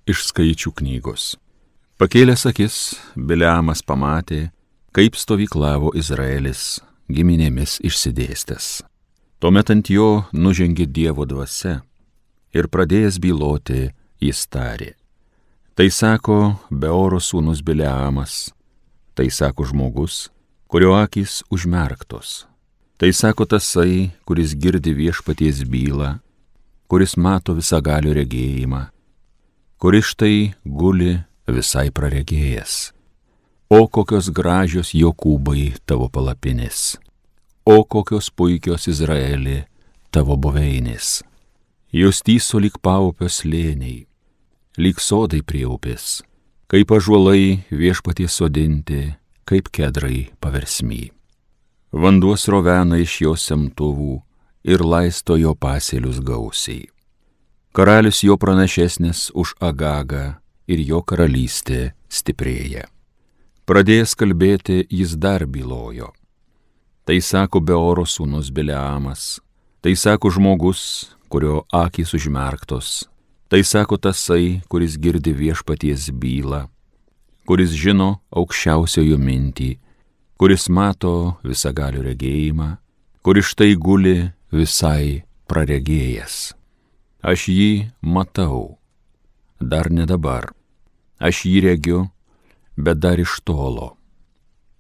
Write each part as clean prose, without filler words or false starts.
iš Skaičių knygos. Pakėlęs akis, Biliamas pamatė, kaip stovyklavo Izraelis giminėmis išsidėstęs. Tuomet ant jo nužengė Dievo dvasia ir pradėjęs byloti, jis tarė: Tai sako Beoro sūnus Biliamas, tai sako žmogus, kurio akys užmerktos. Tai sako tasai, kuris girdi viešpaties bylą, kuris mato visagalio regėjimą, kuris štai guli visai praregėjęs. O kokios gražios Jokūbai tavo palapinės, o kokios puikios Izraeli tavo buveinės. Jos tyso lyg paupio slėniai, lyg sodai prie upės, kaip ąžuolai viešpaties sodinti, kaip kedrai paversmy. Vanduo srovena iš jo semtuvų ir laisto jo pasėlius gausiai. Karalius jo pranašesnis už Agagą ir jo karalystė stiprėja. Pradėjęs kalbėti, jis dar bylojo. Tai sako Beoro sūnus Biliamas, tai sako žmogus, kurio akys užmerktos, tai sako tasai, kuris girdi viešpaties bylą, kuris žino aukščiausiojo mintį, kuris mato visagalio regėjimą, kuris štai guli visai praregėjęs. Aš jį matau, dar ne dabar, aš jį regiu, bet dar iš tolo.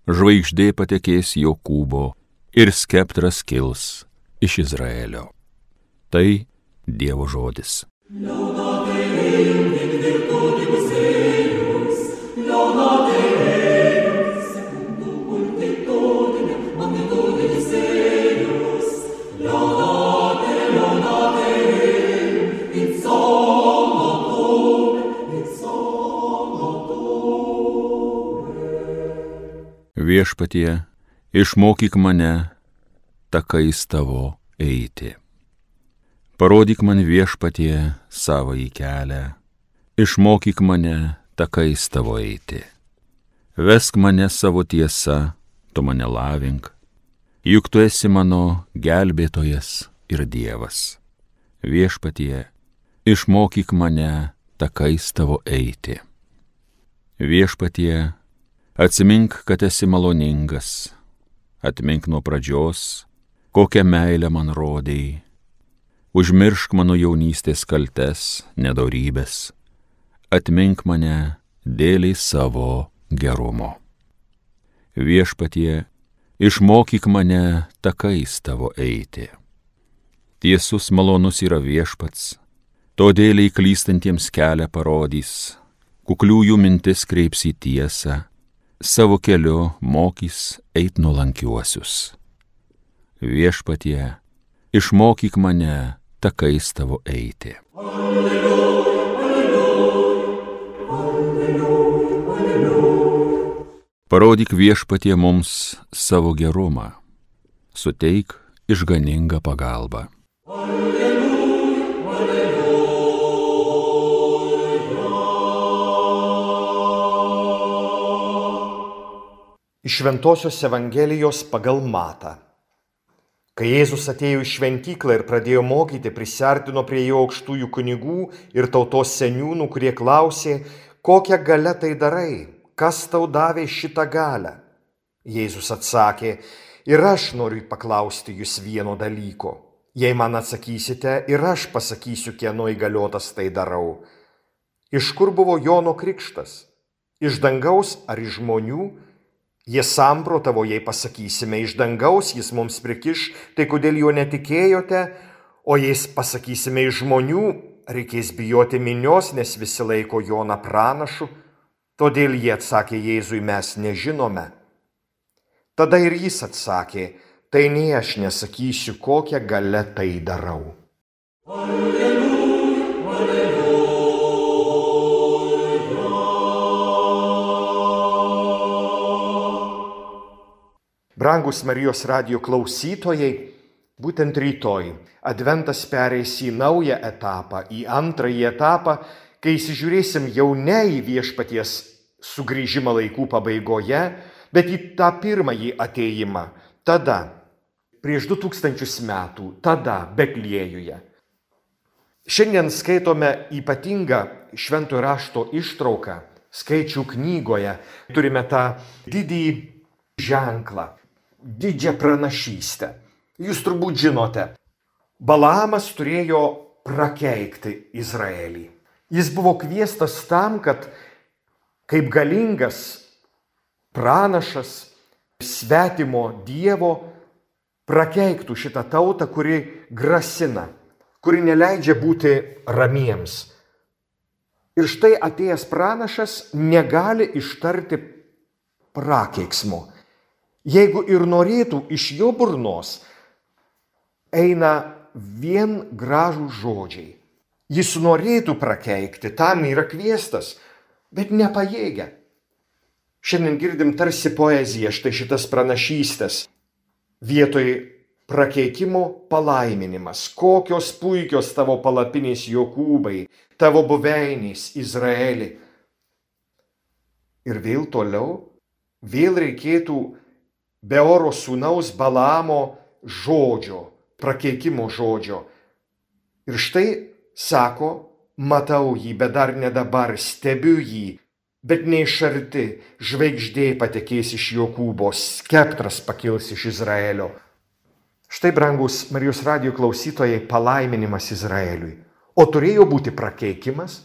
Žvaigždė patekės Jokūbo ir skeptras kils iš Izraelio. Tai Dievo žodis. Viešpatie, išmokyk mane takais tavo eiti. Parodyk man, Viešpatie, savąjį kelią, išmokyk mane takais tavo eiti. Vesk mane savo tiesa, tu mane lavink, juk tu esi mano gelbėtojas ir Dievas. Viešpatie, išmokyk mane takais tavo eiti. Viešpatie, atsimink, kad esi maloningas, atmink nuo pradžios, kokią meilę man rodei. Užmiršk mano jaunystės kaltes, nedorybės, atmink mane dėliai savo gerumo. Viešpatie, išmokyk mane takais tavo eiti. Tiesus malonus yra Viešpats, todėl klystantiems kelią parodys, kukliųjų mintis kreips į tiesą, savo keliu mokys eit nuolankiuosius. Viešpatie, išmokyk mane takais tavo eiti. Alleluja, alleluja, alleluja, alleluja. Parodyk, Viešpatie, mums savo gerumą, suteik išganingą pagalbą. Alleluja, alleluja. Iš Šventosios Evangelijos pagal Matą. Kai Jėzus atėjo į šventyklą ir pradėjo mokyti, prisiartino prie jo aukštųjų kunigų ir tautos seniūnų, kurie klausė, kokią galią tai darai, kas tau davė šitą galią. Jėzus atsakė, ir aš noriu paklausti jūs vieno dalyko. Jei man atsakysite, ir aš pasakysiu, kieno įgaliotas tai darau. Iš kur buvo Jono krikštas? Iš dangaus ar iš žmonių? Jie samprotavo, jei pasakysime iš dangaus, jis mums prikiš, tai kodėl jo netikėjote, o jei pasakysime iš žmonių, reikės bijoti minios, nes visi laiko Joną pranašu. Todėl jie atsakė Jėzui, mes nežinome. Tada ir jis atsakė, tai nei aš nesakysiu, kokią galią tai darau. Alleluja, alleluja. Brangus Marijos radijo klausytojai, būtent rytoj Adventas pereis į naują etapą, į antrąjį etapą, kai įsižiūrėsim jau ne į Viešpaties sugrįžimą laikų pabaigoje, bet į tą pirmąjį atėjimą, tada, prieš 2000 metų, tada Betliejuje. Šiandien skaitome ypatingą Šventojo rašto ištrauką Skaičių knygoje. Turime tą didįjį ženklą, didžią pranašystę. Jūs turbūt žinote, Balaamas turėjo prakeikti Izraelį. Jis buvo kviestas tam, kad kaip galingas pranašas svetimo dievo prakeiktų šitą tautą, kuri grasina, kuri neleidžia būti ramiems. Ir štai atėjęs pranašas negali ištarti prakeiksmo. Jeigu ir norėtų, iš jo burnos eina vien gražūs žodžiai. Jis norėtų prakeikti, tam yra kviestas, bet nepajėgia. Šiandien girdim tarsi poeziją, štai šitas pranašystės. Vietoj prakeikimo palaiminimas. Kokios puikios tavo palapinės Jokūbai, tavo buveinės Izraeli. Ir vėl toliau, vėl reikėtų Beoro sūnaus Balaamo žodžio, prakeikimo žodžio. Ir štai sako, matau jį, bet dar ne dabar, stebiu jį, bet ne iš arti, žvaigždė patekės iš Jokūbo, skeptras pakils iš Izraelio. Štai, brangus Marijos radijo klausytojai, palaiminimas Izraeliui. O turėjo būti prakeikimas?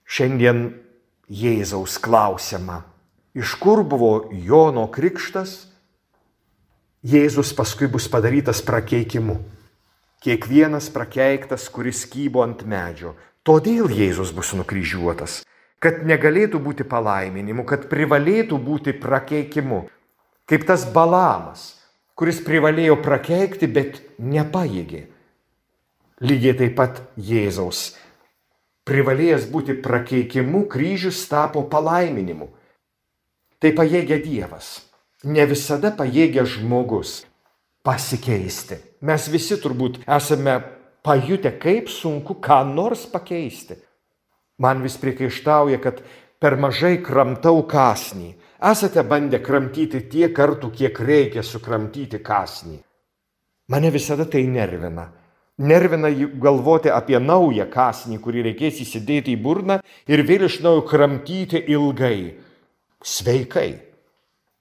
Šiandien Jėzaus klausiama, iš kur buvo Jono krikštas? Jėzus paskui bus padarytas prakeikimu. Kiekvienas prakeiktas, kuris kybo ant medžio. Todėl Jėzus bus nukryžiuotas, kad negalėtų būti palaiminimu, kad privalėtų būti prakeikimu. Kaip tas Balaamas, kuris privalėjo prakeikti, bet nepajėgė. Lygiai taip pat Jėzaus. Privalėjęs būti prakeikimu, kryžius tapo palaiminimu. Tai pajėgia Dievas. Ne visada pajėgia žmogus pasikeisti. Mes visi turbūt esame pajutę, kaip sunku ką nors pakeisti. Man vis priekaištauja, kad per mažai kramtau kąsnį. Esate bandę kramtyti tiek kartų, kiek reikia sukramtyti kąsnį. Mane visada tai nervina. Nervina galvoti apie naują kąsnį, kurį reikės įsidėti į burną ir vėl iš naujo kramtyti ilgai. Sveikai.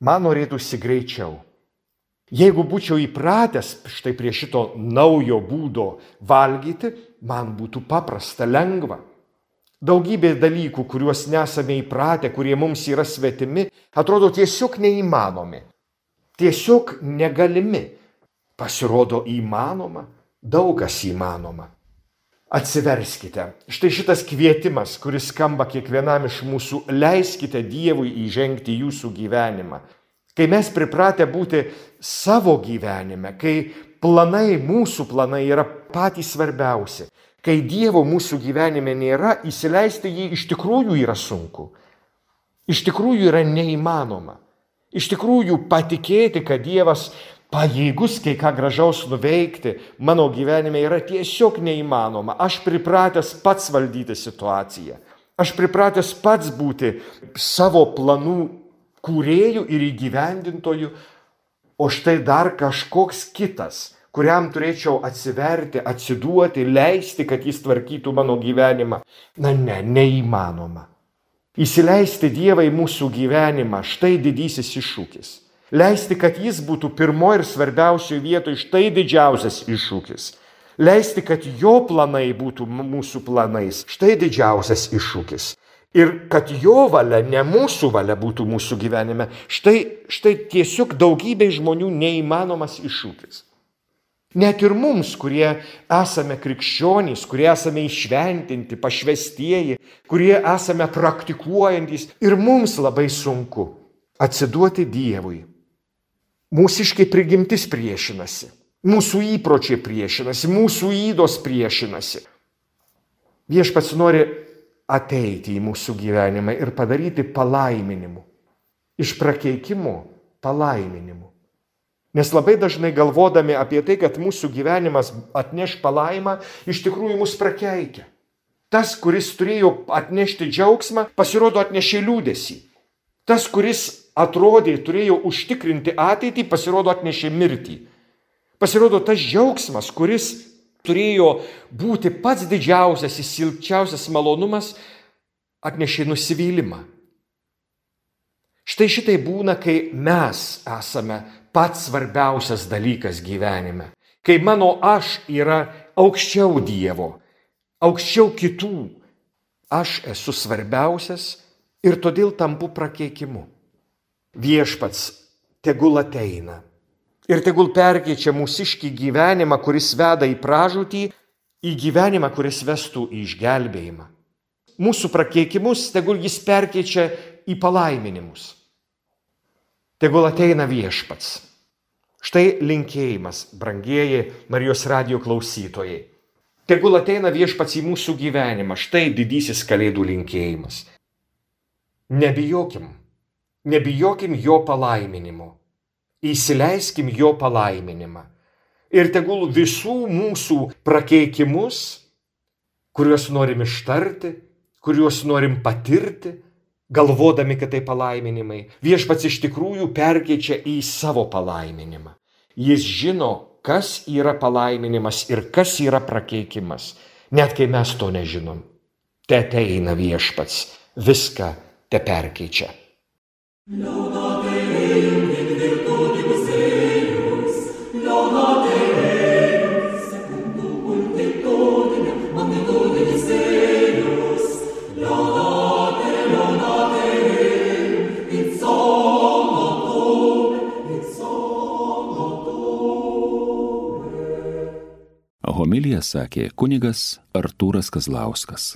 Man norėtųsi greičiau. Jeigu būčiau įpratęs štai prie šito naujo būdo valgyti, man būtų paprasta, lengva. Daugybė dalykų, kuriuos nesame įpratę, kurie mums yra svetimi, atrodo tiesiog neįmanomi. Tiesiog negalimi. Pasirodo įmanoma, daug kas įmanoma. Atsiverskite. Štai šitas kvietimas, kuris skamba kiekvienam iš mūsų, leiskite Dievui įžengti jūsų gyvenimą. Kai mes pripratę būti savo gyvenime, kai mūsų planai yra patys svarbiausi, kai Dievo mūsų gyvenime nėra, įsileisti jį iš tikrųjų yra sunku. Iš tikrųjų yra neįmanoma. Iš tikrųjų patikėti, kad Dievas pajėgus kai ką gražaus nuveikti, mano gyvenime yra tiesiog neįmanoma. Aš pripratęs pats valdyti situaciją. Aš pripratęs pats būti savo planų kūrėjų ir įgyvendintojų, o štai dar kažkoks kitas, kuriam turėčiau atsiverti, atsiduoti, leisti, kad jis tvarkytų mano gyvenimą. Neįmanoma. Įsileisti Dievą į mūsų gyvenimą, štai didysis iššūkis. Leisti, kad jis būtų pirmoji ir svarbiausioje vietoje, štai didžiausias iššūkis. Leisti, kad jo planai būtų mūsų planais, štai didžiausias iššūkis. Ir kad jo valia, ne mūsų valia būtų mūsų gyvenime, štai tiesiog daugybė žmonių neįmanomas iššūkis. Net ir mums, kurie esame krikščionys, kurie esame išventinti, pašvestieji, kurie esame praktikuojantys, ir mums labai sunku atsiduoti Dievui. Mūsiškai prigimtis priešinasi, mūsų įpročiai priešinasi, mūsų ydos priešinasi. Viešpats nori ateiti į mūsų gyvenimą ir padaryti palaiminimu. Iš prakeikimo palaiminimu. Nes labai dažnai galvodami apie tai, kad mūsų gyvenimas atneš palaimą, iš tikrųjų mus prakeikia. Tas, kuris turėjo atnešti džiaugsmą, pasirodo atnešė liūdesį. Tas, kuris atrodė, turėjo užtikrinti ateitį, pasirodo atnešė mirtį. Pasirodo tas džiaugsmas, kuris turėjo būti pats didžiausias, įsilpčiausias malonumas, atnešė nusivylimą. Štai šitai būna, kai mes esame pats svarbiausias dalykas gyvenime. Kai mano aš yra aukščiau Dievo, aukščiau kitų. Aš esu svarbiausias ir todėl tampu prakeikimu. Viešpats tegul ateina ir tegul perkeičia mūsiškį gyvenimą, kuris veda į pražūtį, į gyvenimą, kuris vestų į išgelbėjimą. Mūsų prakeikimus tegul jis perkeičia į palaiminimus. Tegul ateina viešpats. Štai linkėjimas, brangieji Marijos radijo klausytojai. Tegul ateina viešpats į mūsų gyvenimą. Štai didysis Kalėdų linkėjimas. Nebijokim jo palaiminimo. Įsileiskim jo palaiminimą. Ir tegul visų mūsų prakeikimus, kuriuos norim ištarti, kuriuos norim patirti, galvodami, kad tai palaiminimai, viešpats iš tikrųjų perkeičia į savo palaiminimą. Jis žino, kas yra palaiminimas ir kas yra prakeikimas, net kai mes to nežinom. Te ateina viešpats, viską te perkeičia. Homiliją sakė kunigas Artūras Kazlauskas.